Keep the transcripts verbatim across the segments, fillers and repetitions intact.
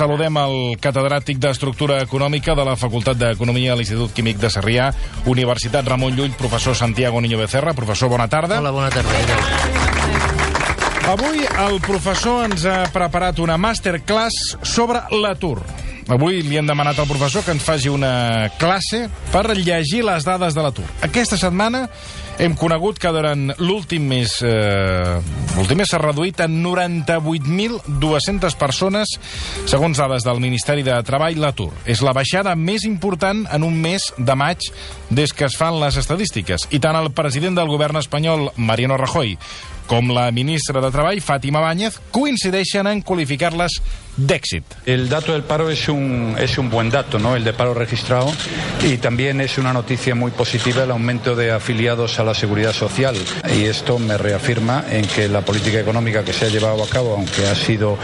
saludem el catedràtic d'Estructura Econòmica de la Facultat d'Economia a l'Institut Químic de Sarrià, Universitat Ramon Llull, professor Santiago Niño Becerra. Professor, bona tarda. Hola, bona tarda. Avui el professor ens ha preparat una masterclass sobre l'atur. Avui li hem demanat al professor que ens faci una classe per llegir les dades de l'atur. Aquesta setmana hem conegut que durant l'últim mes eh, l'últim mes s'ha reduït en noranta-vuit mil dues-centes persones, segons dades del Ministeri de Treball, l'atur. És la baixada més important en un mes de maig des que es fan les estadístiques. I tant el president del govern espanyol, Mariano Rajoy, com la ministra de Treball, Fátima Báñez, coincideixen en qualificar-les d'èxit. El dato del paro es un, es un buen dato, ¿no? El de paro registrado, y también es una noticia muy positiva el aumento de afiliados a la Seguridad Social. Y esto me reafirma en que la política económica que se ha llevado a cabo, aunque ha sido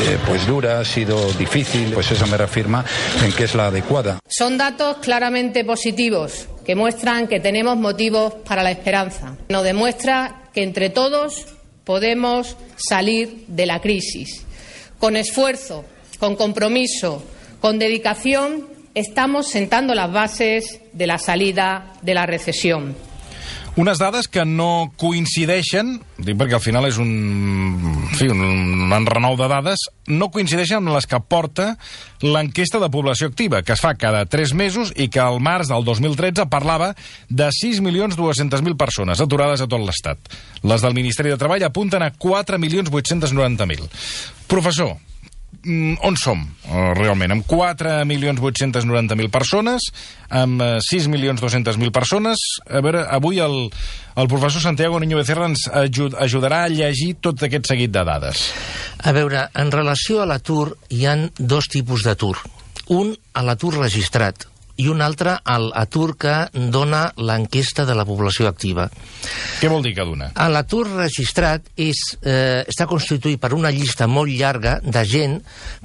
eh, pues dura, ha sido difícil, pues eso me reafirma en que es la adecuada. Son datos claramente positivos que muestran que tenemos motivos para la esperanza. Nos demuestra que entre todos podemos salir de la crisis. Con esfuerzo, con compromiso, con dedicación, estamos sentando las bases de la salida de la recesión. Unes dades que no coincideixen, dic perquè al final és un, en fi, un, un enrenou de dades, no coincideixen amb les que porta l'enquesta de població activa, que es fa cada tres mesos i que al març del dos mil tretze parlava de sis milions dues-centes mil persones aturades a tot l'Estat. Les del Ministeri de Treball apunten a quatre milions vuit-cents noranta mil. Professor, on som, realment? Amb quatre milions vuit-cents noranta mil persones, amb sis milions dos-centes mil persones. A veure, avui el, el professor Santiago Niño Becerra ens ajud, ajudarà a llegir tot aquest seguit de dades. A veure, en relació a l'atur, hi ha dos tipus d'atur. Un, a l'atur registrat, i un altre, a l'atur que dona l'enquesta de la població activa. Què vol dir cada una? L'atur registrat és, eh, està constituït per una llista molt llarga de gent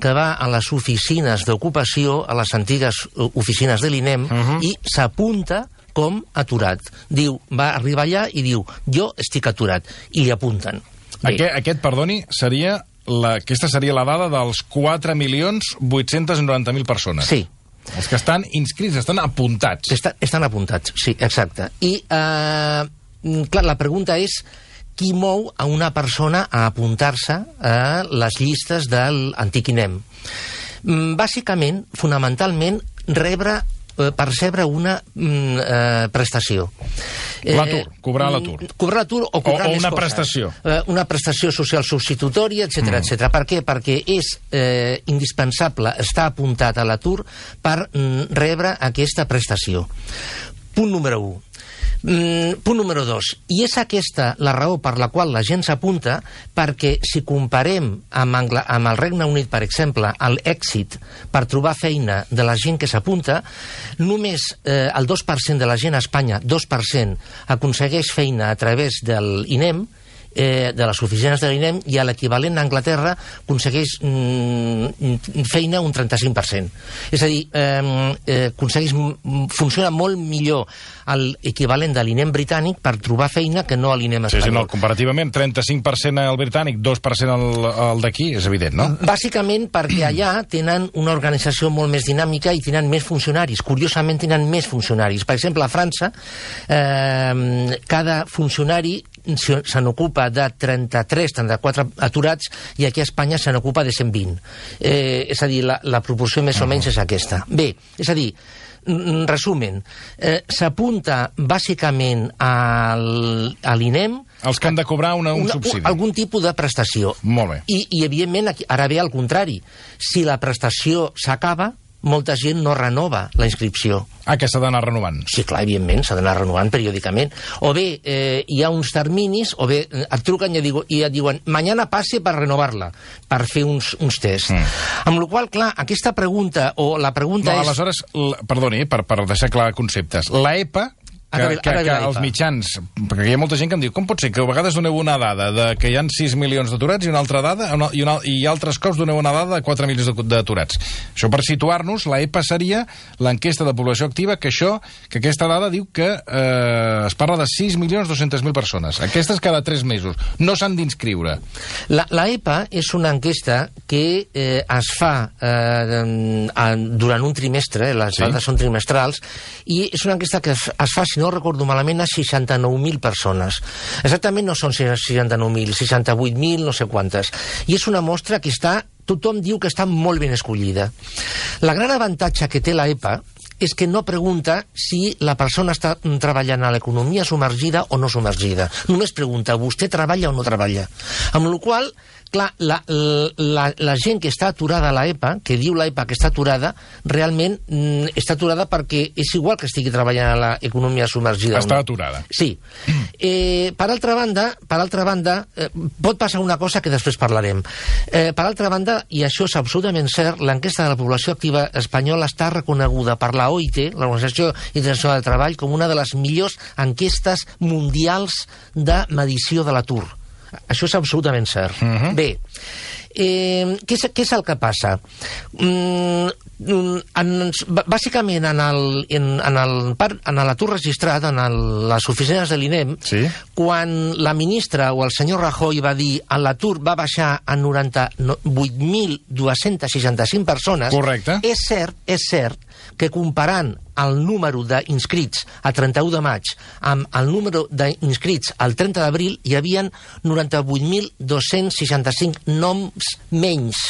que va a les oficines d'ocupació, a les antigues oficines de l'I N E M, uh-huh. i s'apunta com aturat. Diu, va arribar allà i diu, jo estic aturat, i li apunten. Aquest, aquest, perdoni, seria la, aquesta seria la dada dels quatre milions vuit-cents noranta mil persones. Sí. Els que estan inscrits, estan apuntats. Estan, estan apuntats, sí, exacte. I, eh, clar, la pregunta és qui mou a una persona a apuntar-se a les llistes de l'antic I N E M. Bàsicament, fonamentalment, rebre percebre una mm, eh, prestació. L'atur, cobrar l'atur. Eh, cobrar l'atur o cobrar o, o més una coses. prestació. Eh, una prestació social substitutòria, etcètera, mm. etcètera. Per què? Perquè és eh, indispensable estar apuntat a l'atur per mm, rebre aquesta prestació. Punt número u. Mm, punt número dos. I és aquesta la raó per la qual la gent s'apunta, perquè si comparem amb, Angla, amb el Regne Unit, per exemple, l'èxit per trobar feina de la gent que s'apunta, només eh, el dos per cent de la gent a Espanya, dos per cent, aconsegueix feina a través del I N E M, eh, de les oficines de l'I N E M, i a l'equivalent a Anglaterra aconsegueix mm, feina un trenta-cinc per cent. És a dir, eh, eh, aconsegueix, funciona molt millor l'equivalent de l'I N E M britànic per trobar feina que no a l'I N E M espanyol. Sí, sí, no, comparativament, trenta-cinc per cent al britànic, dos per cent al, al d'aquí, és evident, no? Bàsicament perquè allà tenen una organització molt més dinàmica i tenen més funcionaris. Curiosament tenen més funcionaris. Per exemple, a França, eh, cada funcionari se n'ocupa de trenta-tres, trenta-quatre aturats, i aquí a Espanya se n'ocupa de cent vint. Eh, és a dir, la, la proporció més o menys és aquesta. Bé, és a dir, resumen, eh, s'apunta bàsicament al, a l'I N E M els que han de cobrar una, un una, subsidi. Algun tipus de prestació. Molt bé. I, i evidentment, aquí, ara ve al contrari. Si la prestació s'acaba, molta gent no renova la inscripció. Ah, que s'ha d'anar renovant. Sí, clar, evidentment, s'ha d'anar renovant periòdicament. O bé, eh, hi ha uns terminis, o bé et truquen i, digo, i et diuen mañana passe per renovar-la, per fer uns, uns tests. Mm. Amb la qual, clar, aquesta pregunta, o la pregunta no, és... Aleshores, l... perdoni, per, per deixar clar conceptes, l'E P A que, que, que els mitjans... Perquè hi ha molta gent que em diu, com pot ser que a vegades doneu una dada de que hi ha sis milions d'aturats i una altra dada, una, i, una, i altres cops doneu una dada de quatre milions d'aturats? Això per situar-nos, la E P A seria l'enquesta de població activa, que això, que aquesta dada diu que eh, es parla de sis milions dos-cents mil persones. Aquestes cada tres mesos. No s'han d'inscriure. La, la E P A és una enquesta que eh, es fa eh, durant un trimestre, les sí. dades són trimestrals, i és una enquesta que es, es fa, si no recordo malament, a seixanta-nou mil persones. Exactament no són seixanta-nou mil, seixanta-vuit mil, no sé quantes. I és una mostra que està, tothom diu que està molt ben escollida. La gran avantatge que té la E P A és que no pregunta si la persona està treballant a l'economia submergida o no submergida. Només pregunta, vostè treballa o no treballa? Amb la qual cosa, clar, la, la, la gent que està aturada a la E P A, que diu la E P A que està aturada, realment mm, està aturada perquè és igual que estigui treballant a l'economia submergida. Està aturada. Sí. Eh, per altra banda, per altra banda eh, pot passar una cosa que després parlarem. Eh, per altra banda, i això és absolutament cert, l'enquesta de la població activa espanyola està reconeguda per la O I T, l'Organització Internacional del Treball, com una de les millors enquestes mundials de medició de l'atur. Això és absolutament cert. Uh-huh. Bé, eh, què, és, què és el que passa? Mm, en, bàsicament, en el, en, en el, en l'atur registrat, en el, les oficines de l'I N E M, sí. quan la ministra o el senyor Rajoy va dir que l'atur va baixar a noranta-vuit mil dos-cents seixanta-cinc persones, correcte. És cert, és cert que comparant el número d'inscrits a trenta-u de maig amb el número d'inscrits al trenta d'abril hi havia noranta-vuit mil dos-cents seixanta-cinc noms menys.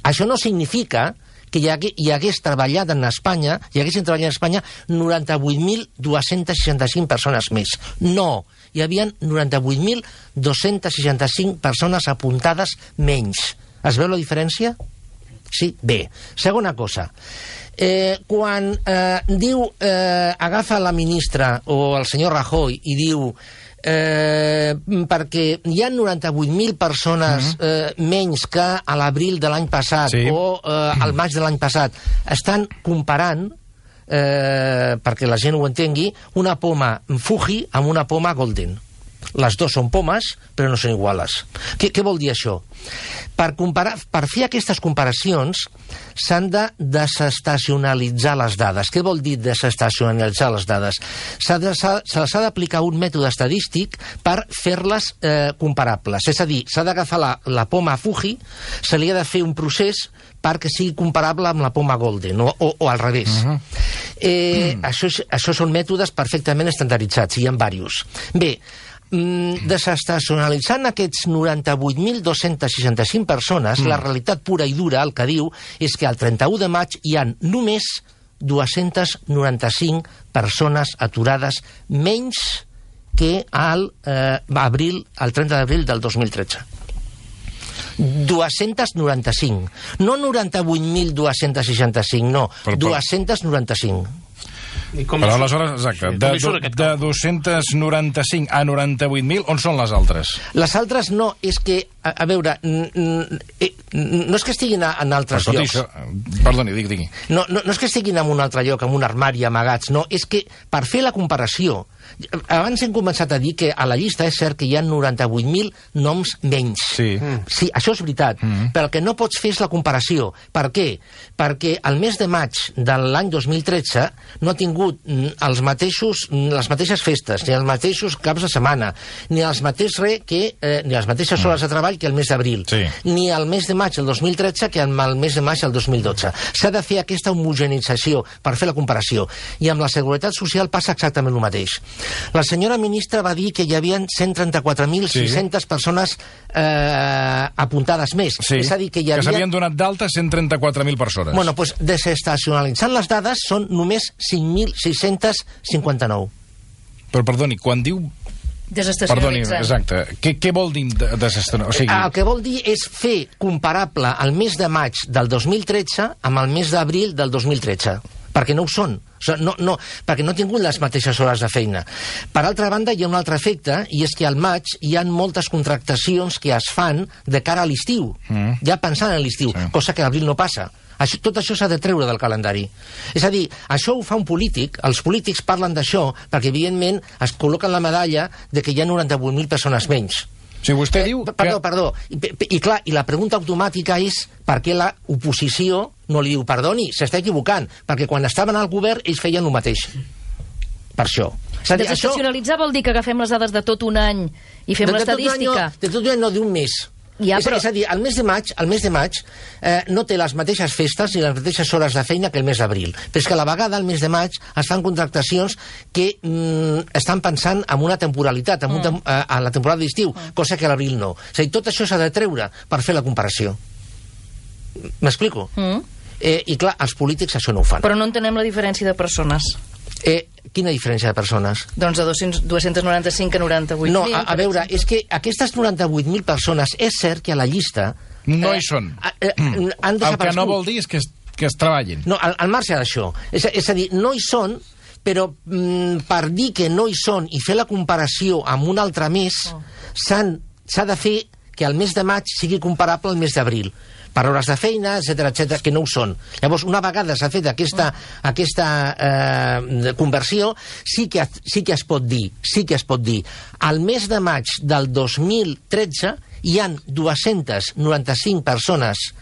Això no significa que hi, hagués, hi hagués treballat en Espanya, hi haguessin treballat en Espanya noranta-vuit mil dos-cents seixanta-cinc persones més. No, hi havia noranta-vuit mil dos-cents seixanta-cinc persones apuntades menys. Es veu la diferència? Sí? Bé. Segona cosa. Eh, quan eh, diu, eh, agafa la ministra o el senyor Rajoy i diu eh, perquè hi ha noranta-vuit mil persones uh-huh. eh, menys que a l'abril de l'any passat sí. o eh, al maig de l'any passat, estan comparant, eh, perquè la gent ho entengui, una poma Fuji amb una poma Golden. Les dues són pomes, però no són iguales. Què, què vol dir això? Per, comparar, per fer aquestes comparacions s'han de desestacionalitzar les dades. Què vol dir desestacionalitzar les dades? Se les ha d'aplicar un mètode estadístic per fer-les eh, comparables. És a dir, s'ha d'agafar la, la poma Fuji, se li ha de fer un procés perquè sigui comparable amb la poma Golden, o, o, o al revés. Uh-huh. eh, mm. això, això són mètodes perfectament estandarditzats, hi ha diversos. Bé, desestacionalitzant aquests noranta-vuit mil dos-cents seixanta-cinc persones, mm. la realitat pura i dura, el que diu, és que al trenta-u de maig hi ha només dos-cents noranta-cinc persones aturades menys que al, eh, abril, al trenta d'abril del dos mil tretze. dos-cents noranta-cinc. No noranta-vuit mil dos-cents seixanta-cinc, no. Però, però... dos-cents noranta-cinc. Però aleshores, exacte, sí, de, de dos-cents noranta-cinc a noranta-vuit mil, on són les altres? Les altres no, és que, a, a veure, n, n, no és que estiguin a, en altres Però, llocs. Això, perdoni, digui, digui. No, no, no és que estiguin en un altre lloc, en un armari amagats, no, és que per fer la comparació, abans hem començat a dir que a la llista és cert que hi ha noranta-vuit mil noms menys. Sí. Mm. Sí, això és veritat, mm. però el que no pots fer és la comparació. Per què? Perquè el mes de maig de l'any dos mil tretze no ha tingut els mateixos, les mateixes festes, ni els mateixos caps de setmana, ni els mateixos re que, eh, ni les mateixes hores de treball que el mes d'abril, sí. ni el mes de maig del dos mil tretze que el mes de maig del dos mil dotze. S'ha de fer aquesta homogenització per fer la comparació. I amb la Seguretat Social passa exactament el mateix. La senyora ministra va dir que hi havia cent trenta-quatre mil sis-centes sí. persones eh, apuntades més. Sí, és a dir, que hi havia... que s'havien donat d'alta cent trenta-quatre mil persones. Bueno, doncs desestacionalitzant les dades són només cinc mil sis-cents cinquanta-nou. Però perdoni, quan diu... Perdoni, exacte. Què, què vol dir desestacionalitzar? O sigui... El que vol dir és fer comparable el mes de maig del dos mil tretze amb el mes d'abril del dos mil tretze. Perquè no ho són. sigui, no, no, perquè no ha tingut les mateixes hores de feina. Per altra banda, hi ha un altre efecte, i és que al maig hi ha moltes contractacions que es fan de cara a l'estiu, mm. ja pensant en l'estiu, sí. cosa que a l'abril no passa. Això, tot això s'ha de treure del calendari. És a dir, això ho fa un polític, els polítics parlen d'això perquè, evidentment, es col·loquen la medalla de que hi ha noranta-vuit mil persones menys. Si vostè eh, diu... Perdó, que... perdó. I, i, clar, i la pregunta automàtica és per què la oposició no li diu perdoni, s'està equivocant, perquè quan estaven al govern ells feien el mateix. Per això. És a dir, desestacionalitzar això... vol dir que agafem les dades de tot un any i fem l'estadística? De tot un any no, d'un mes. Ja, és, però... és a dir, el mes de maig, el mes de maig eh, no té les mateixes festes ni les mateixes hores de feina que el mes d'abril. Però és que a la vegada, el mes de maig, es fan contractacions que mm, estan pensant en una temporalitat, en mm. un tem eh, a la temporada d'estiu, mm. cosa que a l'abril no. És a dir, tot això s'ha de treure per fer la comparació. M'explico? Mm. Eh, I clar, els polítics això no ho fan. Però no entenem la diferència de persones. Eh, quina diferència de persones? Doncs de dos-cents noranta-cinc a noranta-vuit mil. No, a, a veure, és que aquestes noranta-vuit mil persones, és cert que a la llista... No eh, hi són. Eh, eh, han El que no vol dir és que es, que es treballin. No, al, al marge d'això. És, és a dir, no hi són, però mm, per dir que no hi són i fer la comparació amb un altre mes, oh. s'ha de fer que el mes de maig sigui comparable al mes d'abril, per hores de feina, etcètera, etcètera, que no ho són. Llavors, una vegada s'ha fet aquesta, aquesta eh, conversió, sí que, sí que es pot dir, sí que es pot dir, al mes de maig del dos mil tretze hi han dues-centes noranta-cinc persones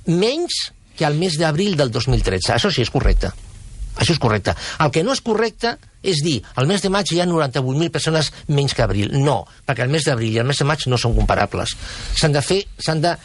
menys que al mes d'abril del dos mil tretze. Això sí és correcte. Això és correcte. El que no és correcte és dir, al mes de maig hi ha noranta-vuit mil persones menys que abril. No, perquè el mes d'abril i el mes de maig no són comparables. S'han de fer, s'han de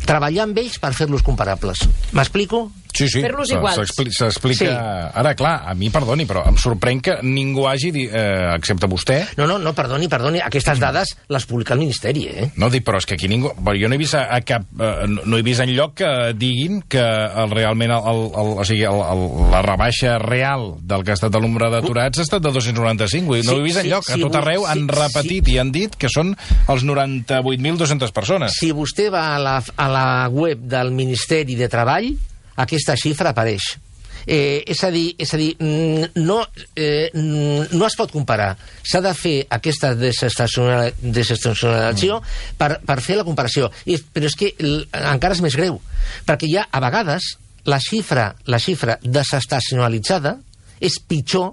treballar amb ells per fer-los comparables. M'explico? Sí, sí, fer-los iguals. S'explica... Sí. Ara, clar, a mi, perdoni, però em sorprèn que ningú hagi dit, eh, excepte vostè... No, no, no, perdoni, perdoni, aquestes dades les publica el Ministeri, eh? No, dic, però és que aquí ningú... Jo no he vist a, a cap... Eh, no he vist enlloc que diguin que el, realment el, el, el, o sigui, el, el, la rebaixa real del que ha estat el nombre d'aturats ha estat de dos-cents noranta-cinc. No sí, ho he vist enlloc. Sí, a tot arreu sí, han repetit sí. i han dit que són els noranta-vuit mil dos-cents persones. Si vostè va a la, a la web del Ministeri de Treball, aquesta xifra apareix. Eh, és a dir, és a dir no, eh, no es pot comparar. S'ha de fer aquesta desestacionalització mm. per, per fer la comparació. I, però és que l, encara és més greu, perquè ja a vegades la xifra, la xifra desestacionalitzada és pitjor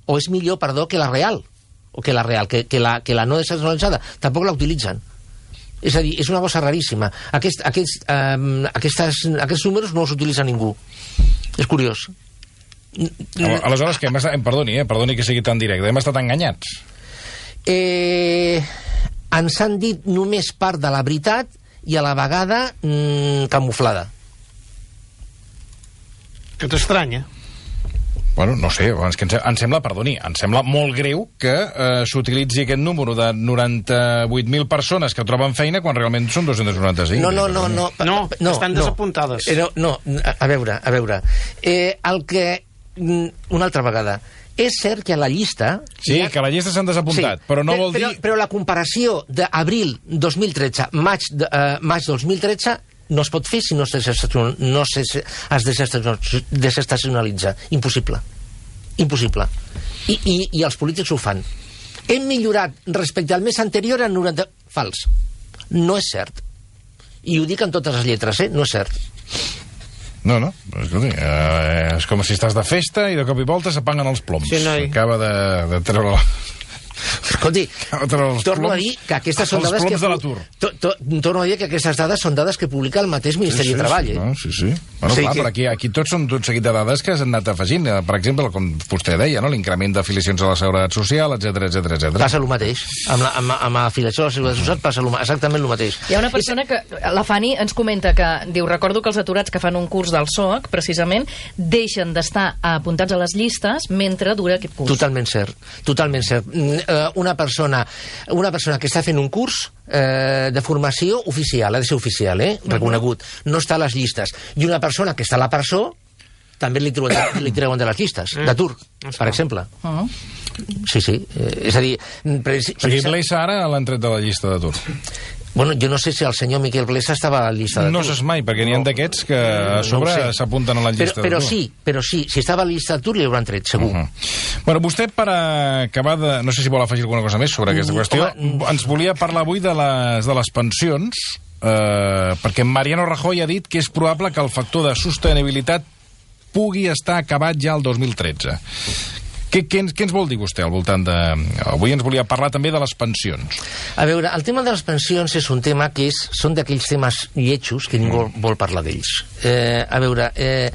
o és millor, perdó, que la real, o que la real, que, que, la, que la no desestacionalitzada. Tampoc la utilitzen. És a dir, és una cosa raríssima. Aquest, aquests, eh, aquestes, aquests números no els utilitza ningú. És curiós. Aleshores, que hem estat... Perdoni, eh? Perdoni que sigui tan directe. Hem estat enganyats. Eh, ens han dit només part de la veritat i a la vegada mm, camuflada. Que t'estranya? Bueno, no sé, és que em sembla, perdoni, em sembla molt greu que eh, s'utilitzi aquest número de noranta-vuit mil persones que troben feina quan realment són dos-cents noranta-cinc. No, no, no, no. No, no estan desapuntades. No, no, a veure, a veure. Eh, el que... Una altra vegada. És cert que a la llista... Sí, ha... que a la llista s'han desapuntat, sí, però no però, vol dir... Però, però la comparació d'abril dos mil tretze, maig, de, uh, maig dos mil tretze... no es pot fer si no es desestacionalitza. Impossible. Impossible. I, i, i els polítics ho fan. Hem millorat respecte al mes anterior en noranta... Fals. No és cert. I ho dic en totes les lletres, eh? No és cert. No, no, escolti, eh, és com si estàs de festa i de cop i volta s'apaguen els ploms. Sí, noi. Acaba de, de treure la... Escolti, torno a dir que aquestes són dades que... To, to, torno a dir que aquestes dades són dades que publica el mateix Ministeri sí, sí, de Treball. Sí, no, sí, sí. Bueno, sí, clar, que... però aquí, aquí tots són tot seguit de dades que s'han anat afegint. Per exemple, com vostè deia, no? L'increment d'afiliacions a la Seguretat Social, etcètera, etcètera, etcètera. Passa el mateix. Amb, la, amb, amb afiliació a la Seguretat Social passa lo, exactament el mateix. Hi ha una persona que... La Fanny ens comenta que diu, recordo que els aturats que fan un curs del S O C, precisament, deixen d'estar apuntats a les llistes mentre dura aquest curs. Totalment cert. Totalment cert. Una persona una persona que està fent un curs eh, de formació oficial, ha de ser oficial, eh, reconegut, no està a les llistes, i una persona que està a la presó també li treuen, li treuen de les llistes d'atur, per exemple. Uh -huh. Sí, sí, eh, és a dir... O sigui, Blesa ara l'han tret de la llista d'atur. Bueno, jo no sé si el senyor Miquel Blesa estava a la llista d'atur. No saps mai, perquè n'hi ha d'aquests que a sobre no s'apunten a la llista però, però d'atur. sí, però sí, si estava a la llista d'atur li hauran tret, segur. Uh -huh. Bueno, vostè, per acabar de... No sé si vol afegir alguna cosa més sobre aquesta qüestió. Home, ens volia parlar avui de les, de les pensions, eh, perquè Mariano Rajoy ha dit que és probable que el factor de sostenibilitat pugui estar acabat ja el dos mil tretze. Què, què, ens, què ens vol dir vostè al voltant de... Avui ens volia parlar també de les pensions. A veure, el tema de les pensions és un tema que és, són d'aquells temes lletjos que ningú mm. vol parlar d'ells. Eh, a veure, eh,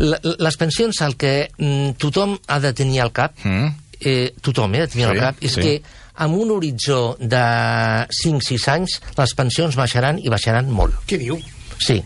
les pensions, el que mm, tothom ha de tenir al cap, mm. eh, tothom eh, ha de tenir sí, al cap, és sí. que amb un horitzó de cinc a sis anys les pensions baixaran i baixaran molt. Què diu? Sí.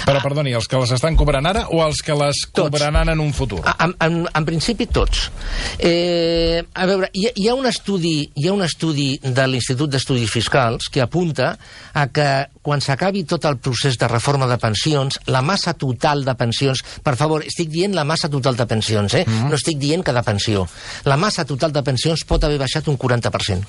Però, perdoni, els que les estan cobrant ara o els que les tots. cobraran en un futur? En, en, en principi, tots. Eh, a veure, hi ha, hi ha un estudi, hi ha un estudi de l'Institut d'Estudis Fiscals que apunta a que quan s'acabi tot el procés de reforma de pensions, la massa total de pensions, per favor, estic dient la massa total de pensions, eh? Mm-hmm. No estic dient cada pensió. La massa total de pensions pot haver baixat un quaranta per cent.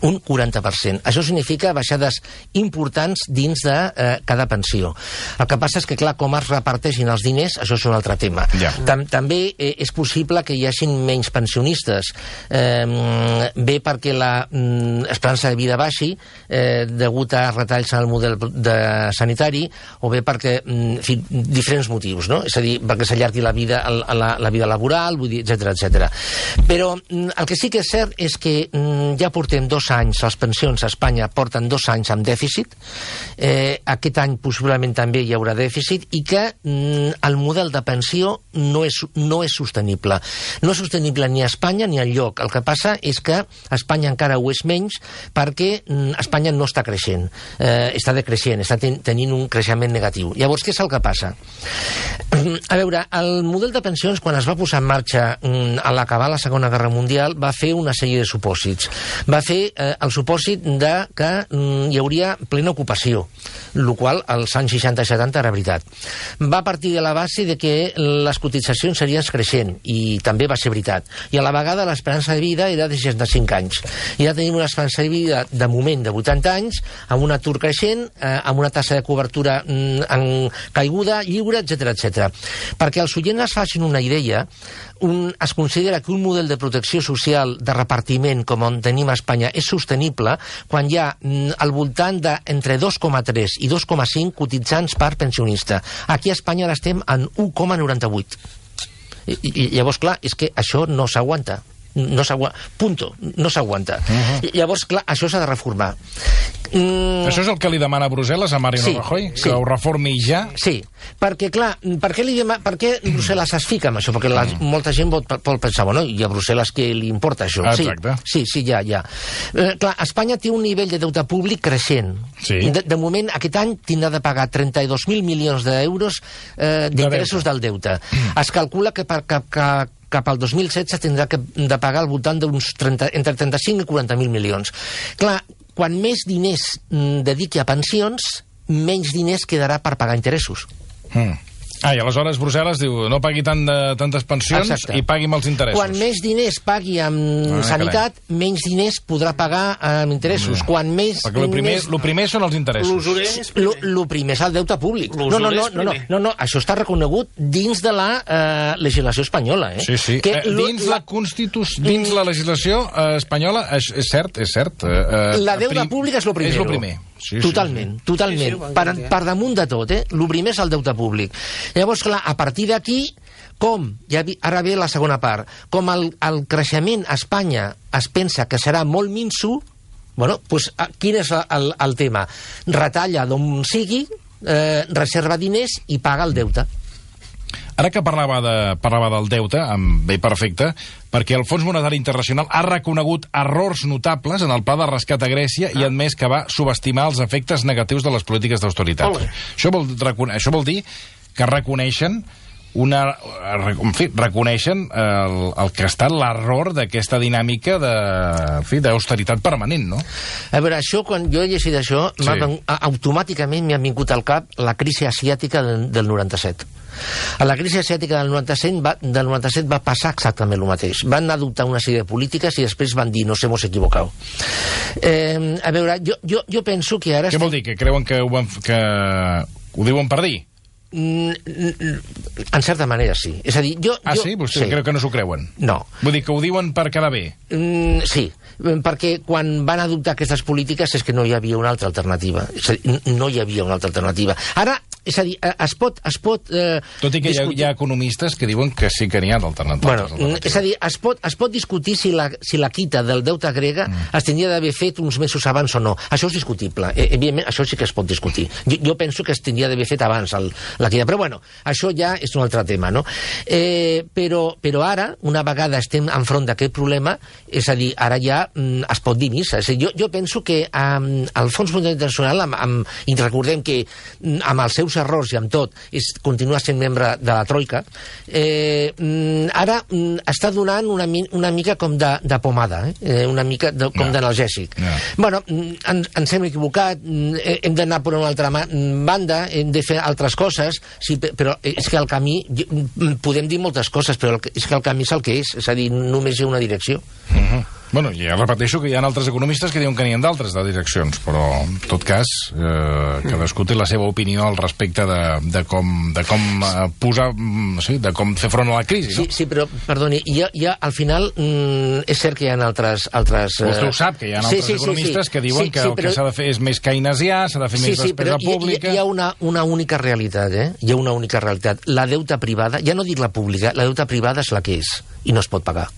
Un quaranta per cent. Això significa baixades importants dins de eh, cada pensió. El que passa és que, clar, com es reparteixin els diners, això és un altre tema. Ja. Tam També eh, és possible que hi hagin menys pensionistes. Eh, bé perquè la mm, esperança de vida baixi, eh, degut a retalls en el model de sanitari, o bé perquè, mm, en fi, diferents motius, no? És a dir, perquè s'allargui la vida, la, la vida laboral, vull dir, etcètera, etcètera. Però mm, el que sí que és cert és que mm, ja portem dos anys, les pensions a Espanya porten dos anys amb dèficit, eh, aquest any possiblement també hi haurà dèficit, i que mm, el model de pensió no és, no és sostenible. No és sostenible ni a Espanya ni enlloc. El que passa és que Espanya encara ho és menys perquè mm, Espanya no està creixent, eh, està decreixent, està ten tenint un creixement negatiu. Llavors, què és el que passa? A veure, el model de pensions, quan es va posar en marxa mm, a l'acabar la Segona Guerra Mundial, va fer una sèrie de supòsits. Va fer eh, el supòsit de que mm, hi hauria plena ocupació, el qual als anys seixanta i setanta era veritat. Va partir de la base de que les cotitzacions serien creixent, i també va ser veritat. I a la vegada l'esperança de vida era de seixanta-cinc anys. I ja tenim una esperança de vida de moment de vuitanta anys, amb un atur creixent, eh, amb una tassa de cobertura mm, en caiguda, lliure, etcètera, etcètera. Perquè els oients es facin una idea, un, es considera que un model de protecció social de repartiment com on tenim a Espanya és sostenible quan hi ha mm, al voltant d'entre dos coma tres i dos coma cinc cotitzants per pensionista. Aquí a Espanya ara estem en u coma noranta-vuit. I, i llavors, clar, és que això no s'aguanta. No s'aguanta. Punto. No s'aguanta. Uh -huh. Llavors, clar, això s'ha de reformar. Mm. Això és el que li demana Brussel·les a Mariano sí, Rajoy? Que sí. ho reformi ja? Sí, perquè, clar, per què, li demana, per què Brussel·les es fica amb això? Perquè la, mm. molta gent pot, pot pensar, bueno, i a Brussel·les què li importa això? Exacte. Sí, sí, sí, ja, ja. Eh, clar, Espanya té un nivell de deute públic creixent. Sí. De, de moment, aquest any tindrà de pagar trenta-dos mil milions d'euros eh, d'interessos de del deute. Mm. Es calcula que per cap... Que, cap al dos mil setze tindrà que de pagar al voltant d'uns entre trenta-cinc i quaranta mil milions. Clar, quan més diners mm, dediqui a pensions, menys diners quedarà per pagar interessos. Mm. Ah, i aleshores Brussel·les diu no pagui tant de, tantes pensions Exacte. I pagui amb els interessos. Quan més diners pagui amb ah, sanitat, carai. menys diners podrà pagar amb interessos. Mm. Quan més... Perquè el primer, més... lo primer són els interessos. El primer és el deute públic. No, no, no, no, no, no, no, això està reconegut dins de la eh, legislació espanyola. Eh? Sí, sí. Que eh, dins la, la Constitució, dins la legislació eh, espanyola, és, és cert, és cert. Eh, la deute públic és el primer. És el primer. Sí, totalment, sí, sí. totalment. Sí, sí, per, per damunt de tot, eh? El primer és el deute públic. Llavors, clar, a partir d'aquí, com, ja vi, ara ve la segona part, com el, el creixement a Espanya es pensa que serà molt minso, bueno, doncs, quin és el, el tema? Retalla d'on sigui, eh, reserva diners i paga el deute. Ara que parlava, de, parlava del deute, amb bé perfecte, perquè el Fons Monetari Internacional ha reconegut errors notables en el pla de rescat a Grècia ah. i admès que va subestimar els efectes negatius de les polítiques d'austeritat. Això, vol, això vol dir que reconeixen una, en fi, reconeixen el, el que ha estat l'error d'aquesta dinàmica de, en fi, d'austeritat permanent, no? A veure, això, quan jo he llegit això, Sí. sí. automàticament m'ha vingut al cap la crisi asiàtica del, del noranta-set. A la crisi asiàtica del noranta-set va, del noranta-set va passar exactament el mateix. Van adoptar una sèrie de polítiques i després van dir, nos hemos equivocado. Eh, a veure, jo, jo, jo penso que ara... Què vol dir? Que creuen que ho, van, que ho diuen per dir? En certa manera, sí. És a dir, jo... Ah, jo, sí? Vostè sí. creu que no s'ho creuen? No. Vull dir que ho diuen per quedar bé? Mm, sí, perquè quan van adoptar aquestes polítiques és que no hi havia una altra alternativa. És a dir, no hi havia una altra alternativa. Ara, és a dir, es pot... Es pot eh, Tot i que discutir... hi ha, hi ha economistes que diuen que sí que n'hi ha d'alternatives. Bueno, alternatives. És a dir, es pot, es pot discutir si la, si la quita del deute grega mm. es tindria d'haver fet uns mesos abans o no. Això és discutible. Eh, evidentment, això sí que es pot discutir. Jo, jo penso que es tindria d'haver fet abans el, la quita. Però bueno, això ja és un altre tema, no? Eh, però, però ara, una vegada estem enfront d'aquest problema, és a dir, ara ja mm, es pot dir missa. És a dir, jo, jo penso que um, el Fons Monetari Internacional, amb, amb, i recordem que mm, amb els seus errors i amb tot, és, continua sent membre de la Troika, eh, mm, ara mm, està donant una, una mica com de, de pomada, eh? una mica de, com no. d'analgèsic. No. Bueno, en, ens hem equivocat, hem d'anar per una altra banda, hem de fer altres coses, sí, però és que el camí, podem dir moltes coses, però el, és que el camí és el que és, és a dir, només hi ha una direcció. Uh-huh. Bueno, ja repeteixo que hi ha altres economistes que diuen que n'hi ha d'altres de direccions, però en tot cas eh, cadascú té la seva opinió al respecte de, de com, de com eh, posar, sí, de com fer front a la crisi, no? Sí, sí, però, perdoni, hi ha, hi ha, al final mm, és cert que hi ha altres... altres eh... Vostè ho sap, que hi ha altres sí, sí, economistes sí, sí. que diuen sí, que el sí, però... que s'ha de fer és més keynesià, s'ha de fer sí, més sí, despesa pública... Hi, hi ha una, una única realitat, eh? Hi ha una única realitat. La deuta privada, ja no dic la pública, la deuta privada és la que és, i no es pot pagar.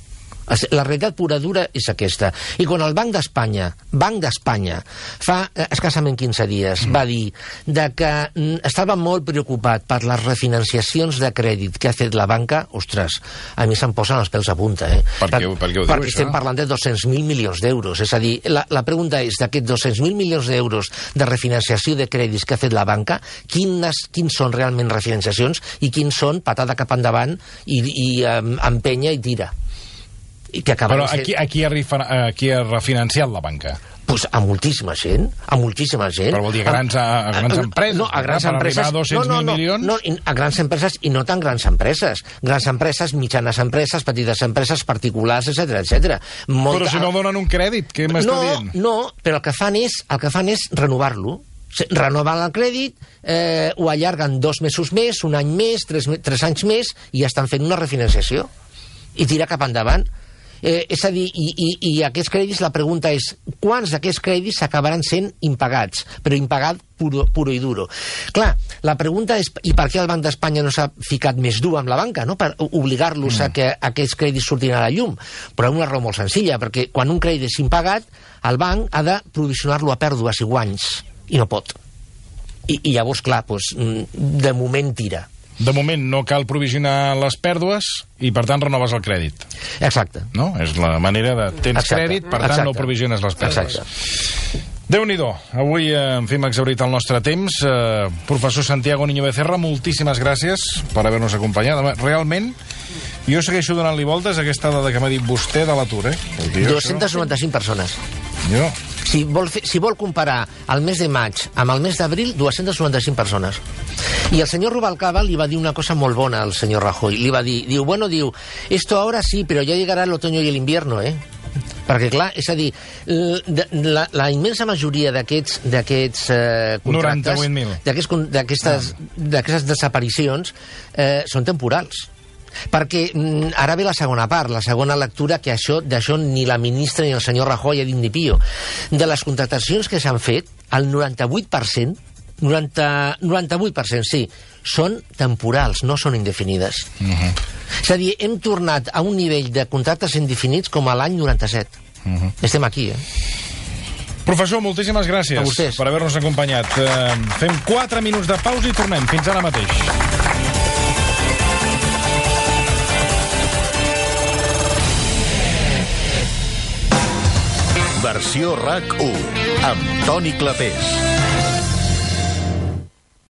La realitat pura dura és aquesta. I quan el Banc d'Espanya, Banc d'Espanya, fa eh, escassament quinze dies, mm. va dir de que mm, estava molt preocupat per les refinanciacions de crèdit que ha fet la banca, ostres, a mi se'm posen els pèls a punta, eh? Per, per, què, per què ho diu, perquè estem això? Parlant de dos-cents mil milions d'euros. És a dir, la, la pregunta és, d'aquests dos-cents mil milions d'euros de refinanciació de crèdits que ha fet la banca, quines, quins són realment refinanciacions i quins són patada cap endavant i, i um, empenya i tira. Que però a qui, a, qui ha rifa, a qui ha refinanciat la banca? Pues a moltíssima gent, a moltíssima gent. Però vol dir a grans, a, a grans empreses, no, a grans per empreses, arribar a dos-cents mil no, no, no, milions? No, a grans empreses i no tan grans empreses. Grans empreses, mitjanes empreses, petites empreses, particulars, etcètera, etcètera. Molta... Però si no donen un crèdit, què m'està no, dient? No, però el que fan és, el que fan és renovar-lo. Renoven el crèdit, eh, ho allarguen dos mesos més, un any més, tres, tres anys més, i ja estan fent una refinanciació. I tira cap endavant. Eh, és a dir, i, i, i aquests crèdits, la pregunta és, quants d'aquests crèdits s'acabaran sent impagats, però impagat puro, puro i duro? Clar, la pregunta és, i per què el Banc d'Espanya no s'ha ficat més dur amb la banca, no? Per obligar-los mm. a que aquests crèdits surtin a la llum? Però una raó molt senzilla, perquè quan un crèdit és impagat, el banc ha de provisionar-lo a pèrdues i guanys, i no pot. I, i llavors, clar, doncs, de moment tira. De moment no cal provisionar les pèrdues i, per tant, renoves el crèdit. Exacte. No? És la manera de... Tens Exacte. crèdit, per tant, Exacte. no provisiones les pèrdues. Exacte. Déu-n'hi-do. Avui, eh, en fi, hem exhaurit el nostre temps. Eh, professor Santiago Niño Becerra, moltíssimes gràcies per haver-nos acompanyat. Realment, jo segueixo donant-li voltes a aquesta dada que m'ha dit vostè de l'atur, eh? dos-cents noranta-cinc persones. Jo... Si vol, fer, si vol comparar el mes de maig amb el mes d'abril, dos-cents noranta-cinc persones. I el senyor Rubalcaba li va dir una cosa molt bona al senyor Rajoy. Li va dir, diu, bueno, diu, esto ahora sí, pero ya llegará el otoño y el invierno, eh? Perquè, clar, és a dir, la, la immensa majoria d'aquests d'aquests eh, contractes, d'aquestes ah. desaparicions, eh, són temporals. Perquè mm, ara ve la segona part, la segona lectura, que això d'això ni la ministra ni el senyor Rajoy ha dit ni pio. De les contractacions que s'han fet, el noranta-vuit per cent, noranta, noranta-vuit per cent, sí, són temporals, no són indefinides. Uh-huh. És a dir, hem tornat a un nivell de contractes indefinits com a l'any noranta-set. Uh-huh. Estem aquí, eh? Professor, moltíssimes gràcies per haver-nos acompanyat. Uh, fem quatre minuts de pausa i tornem. Fins ara mateix. Versió RAC u, amb Toni Clapés.